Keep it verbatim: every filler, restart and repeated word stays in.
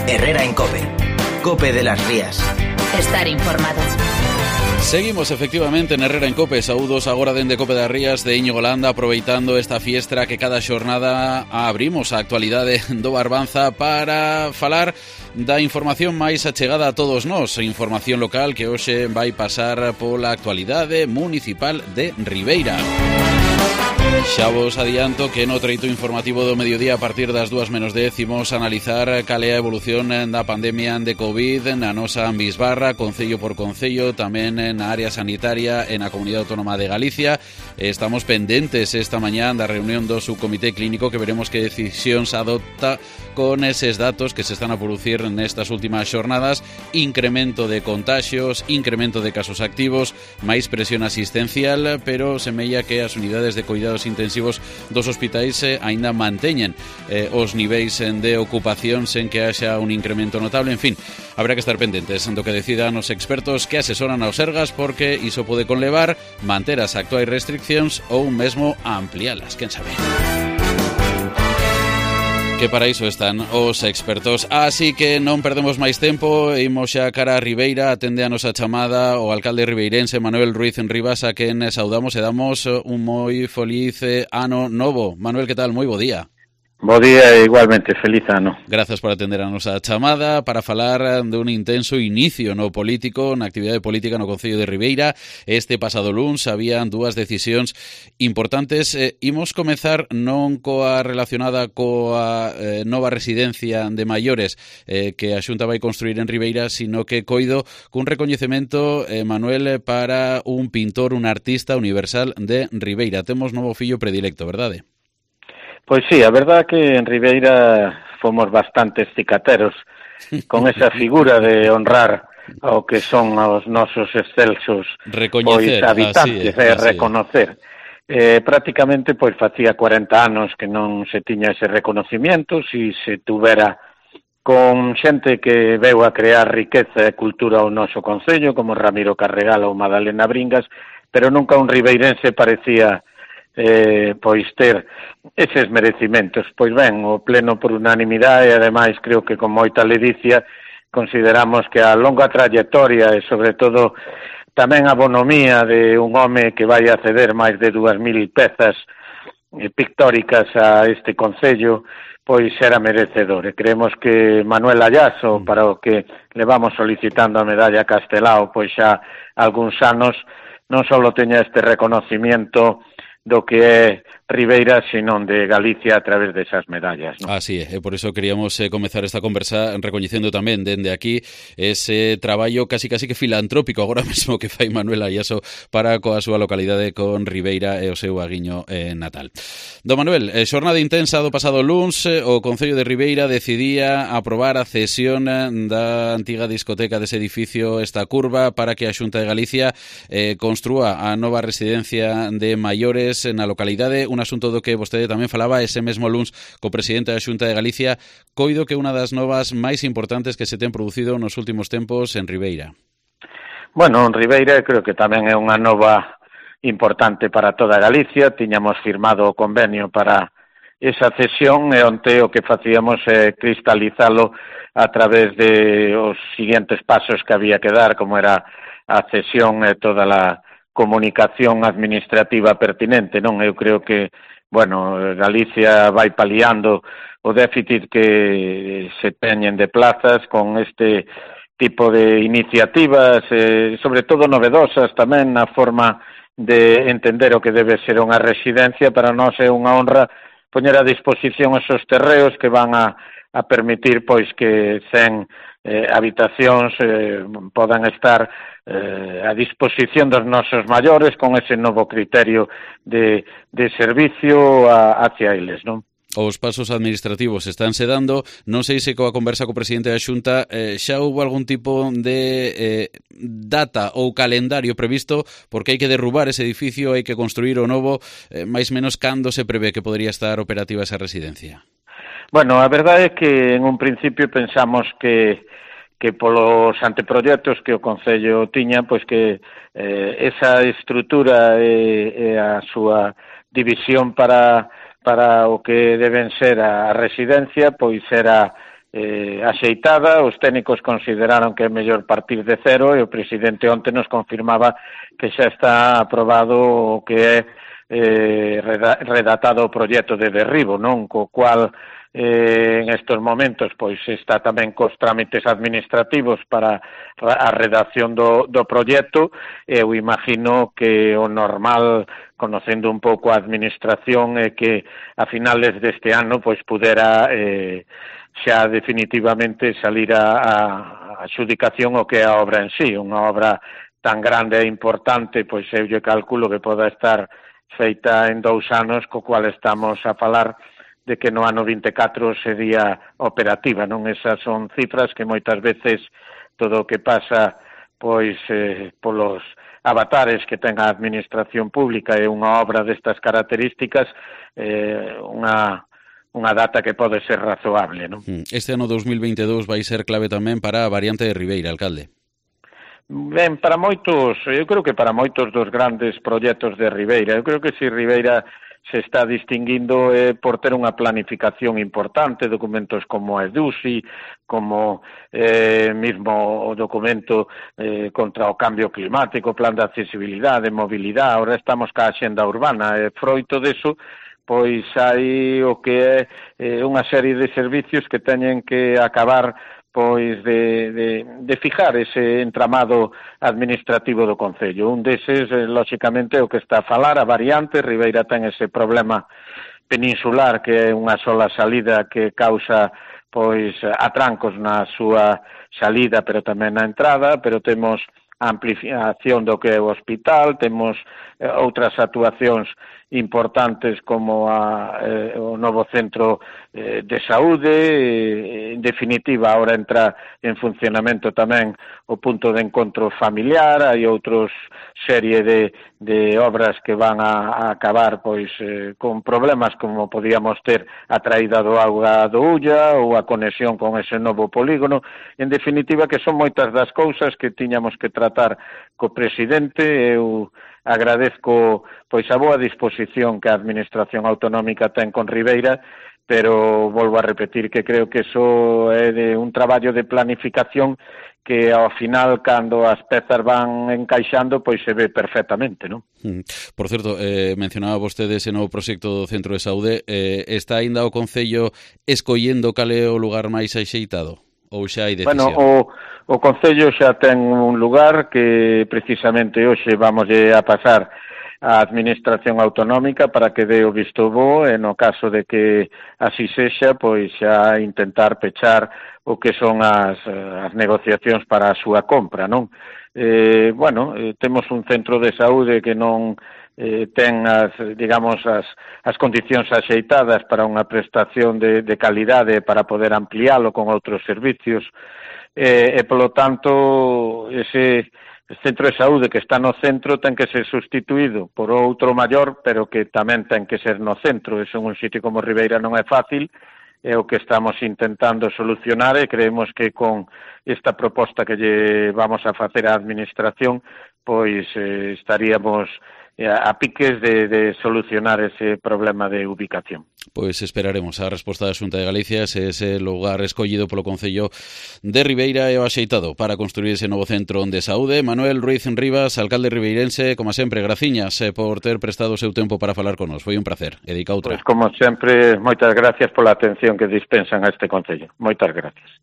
Herrera en COPE. COPE de las Rías. Estar informado. Seguimos efectivamente en Herrera en COPE. Saúdos agora dende COPE das Rías de Íñigo Landa, aproveitando esta fiestra que cada xornada abrimos a actualidade do Barbanza para falar da información máis achegada a todos nós, información local que hoxe vai pasar pola actualidade municipal de Ribeira. Xa vos adianto que no treito informativo do mediodía a partir das dúas menos dez imos analizar cal é a evolución da pandemia de COVID na nosa Ambisbarra, concello por concello, tamén na área sanitaria e na Comunidade Autónoma de Galicia. Estamos pendentes esta mañá da reunión do subcomité clínico que veremos que decisións adopta con eses datos que se están a producir nestas últimas xornadas, incremento de contaxios, incremento de casos activos, máis presión asistencial, pero semella que as unidades de cuidados intensivos dos hospitais eh, aínda manteñen eh, os niveis de ocupación sen que haxa un incremento notable. En fin, habrá que estar pendentes do que decidan os expertos que asesoran aos Sergas, porque iso pode conlevar manter as actuais restriccións ou mesmo amplialas, quen sabe. Que para iso están os expertos. Así que non perdemos máis tempo, imos xa cara a Ribeira. Atende a nosa chamada o alcalde ribeirense Manuel Ruiz Enribas, a quen saudamos e damos un moi feliz ano novo. Manuel, que tal? Moi bo día. Bo día e igualmente, feliz ano. Grazas por atender a nosa chamada para falar de un intenso inicio no político, na actividade política no Concello de Ribeira. Este pasado luns habían dúas decisións importantes. Eh, imos comezar non coa relacionada coa eh, nova residencia de maiores eh, que a Xunta vai construir en Ribeira, sino que coido cun recoñecemento, eh, Manuel, para un pintor, un artista universal de Ribeira. Temos novo fillo predilecto, verdade? Pois sí, a verdad que en Ribeira fomos bastantes cicateros con esa figura de honrar ao que son os nosos excelsos pois, habitantes, e reconocer. Eh, prácticamente pois facía cuarenta anos que non se tiña ese reconocimiento, si se tuvera con xente que veu a crear riqueza e cultura ao noso concello, como Ramiro Carregal ou Madalena Bringas, pero nunca un ribeirense parecía Eh, pois ter eses merecimentos. Pois ben, o pleno por unanimidade, e ademais creo que con moita ledicia consideramos que a longa trayectoria e sobre todo tamén a bonomía de un home que vai a ceder máis de dúas mil pezas eh, pictóricas a este concello, pois era merecedor. E creemos que Manuel Ayaso, para o que le vamos solicitando a medalla Castelao, pois xa algúns anos, non só teña este reconocimiento do que é Ribeira, senón de Galicia a través desas medallas, ¿no? Así é, e por iso queríamos eh, comezar esta conversa recoñecendo tamén dende aquí ese traballo casi casi que filantrópico agora mesmo que fai Manuel Ayaso para coa súa localidade con Ribeira e o seu aguiño eh, natal. Do Manuel, eh, xornada intensa do pasado luns, eh, o Concello de Ribeira decidía aprobar a cesión da antiga discoteca dese edificio Esta Curva para que a Xunta de Galicia eh, construa a nova residencia de maiores na localidade, un asunto do que vostede tamén falaba ese mesmo luns co presidente da Xunta de Galicia. Coido que unha das novas máis importantes que se ten producido nos últimos tempos en Ribeira. Bueno, en Ribeira creo que tamén é unha nova importante para toda Galicia. Tiñamos firmado o convenio para esa cesión e onte o que facíamos é cristalizalo a través de os siguientes pasos que había que dar, como era a cesión e toda a comunicación administrativa pertinente, non? Eu creo que, bueno, Galicia vai paliando o déficit que se teñen de plazas con este tipo de iniciativas, eh, sobre todo novedosas tamén na forma de entender o que debe ser unha residencia. Para nós é unha honra poñer a disposición esos terreos que van a, a permitir pois que cen eh, habitacións eh, podan estar eh, a disposición dos nosos maiores con ese novo criterio de, de servicio a, hacia eles, non? Os pasos administrativos estánse dando. Non sei se coa conversa co presidente da Xunta eh, xa houve algún tipo de eh, data ou calendario previsto, porque hai que derrubar ese edificio, hai que construir o novo, eh, máis menos cando se prevé que podría estar operativa esa residencia? Bueno, a verdade é que en un principio pensamos que que polos anteproxectos que o Concello tiña, pois que eh, esa estrutura e, e a súa división para para o que deben ser a residencia, pois era eh, axeitada, os técnicos consideraron que é mellor partir de cero e o presidente onte nos confirmaba que xa está aprobado o que é eh, redactado o proxecto de derribo, non? Co cual eh, en estos momentos pois está tamén cos trámites administrativos para a redacción do, do proxecto. Eu imagino que o normal, conocendo un pouco a administración, é que a finales deste ano pois pudera eh, xa definitivamente salir a, a adxudicación o que é a obra en sí, unha obra tan grande e importante, pois eu lle calculo que poda estar feita en dous anos, co cual estamos a falar de que no ano vinte e catro sería operativa, non? Esas son cifras que moitas veces todo o que pasa pois eh, polos avatares que ten a administración pública e unha obra destas características, eh, unha unha data que pode ser razoable, non? Este ano dos mil veintidós vai ser clave tamén para a variante de Ribeira, alcalde. Ben, para moitos, eu creo que para moitos dos grandes proxectos de Ribeira, eu creo que se Ribeira se está distinguindo eh, por ter unha planificación importante, documentos como a EDUSI, como eh, mismo o documento eh, contra o cambio climático, plan de accesibilidade, mobilidade, ahora estamos ca axenda urbana, e eh, froito deso, pois hai o que é eh, unha serie de servicios que teñen que acabar pois de, de, de fijar ese entramado administrativo do Concello. Un deses, eh, lóxicamente, o que está a falar, a variante. Ribeira ten ese problema peninsular que é unha sola salida que causa pois atrancos na súa salida, pero tamén na entrada, pero temos a ampliación do que é o hospital, temos eh, outras actuacións importantes como a, eh, o novo centro eh, de saúde, eh, en definitiva, ahora entra en funcionamento tamén o punto de encontro familiar, hai outros serie de, de obras que van a, a acabar pois eh, con problemas como podíamos ter a traída do auga do Ulla ou a conexión con ese novo polígono. En definitiva, que son moitas das cousas que tiñamos que tratar co presidente. Eu agradezco pois a boa disposición que a Administración Autonómica ten con Ribeira, pero volvo a repetir que creo que iso é de un traballo de planificación que ao final, cando as pezas van encaixando, pois se ve perfectamente, non? Por certo, eh, mencionaba vostede ese novo proxecto do Centro de Saúde, eh, está aínda o Concello escollendo cal é o lugar máis axeitado? Ou xa hai decisión? Bueno, o, o Concello xa ten un lugar que precisamente hoxe vamos a pasar a Administración Autonómica para que dé o visto bo, e no caso de que así sexa, pois xa intentar pechar o que son as, as negociacións para a súa compra, non? Eh, bueno, eh, temos un centro de saúde que non eh, ten as, digamos, as, as condicións axeitadas para unha prestación de, de calidade para poder ampliálo con outros servicios, eh, e, polo tanto, ese centro de saúde que está no centro ten que ser sustituído por outro maior, pero que tamén ten que ser no centro. Eso en un sitio como Ribeira non é fácil, é o que estamos intentando solucionar, e creemos que con esta proposta que lle vamos a facer á Administración, pois eh, estaríamos a piques de, de solucionar ese problema de ubicación. Pois esperaremos a resposta da Xunta de Galicia se ese lugar escollido polo Concello de Ribeira é o axeitado para construir ese novo centro de saúde. Manuel Ruiz Rivas, alcalde ribeirense, como sempre, graciñas por ter prestado o seu tempo para falar con nos. Foi un placer. E dica outra. Pois, como sempre, moitas gracias pola atención que dispensan a este Concello. Moitas gracias.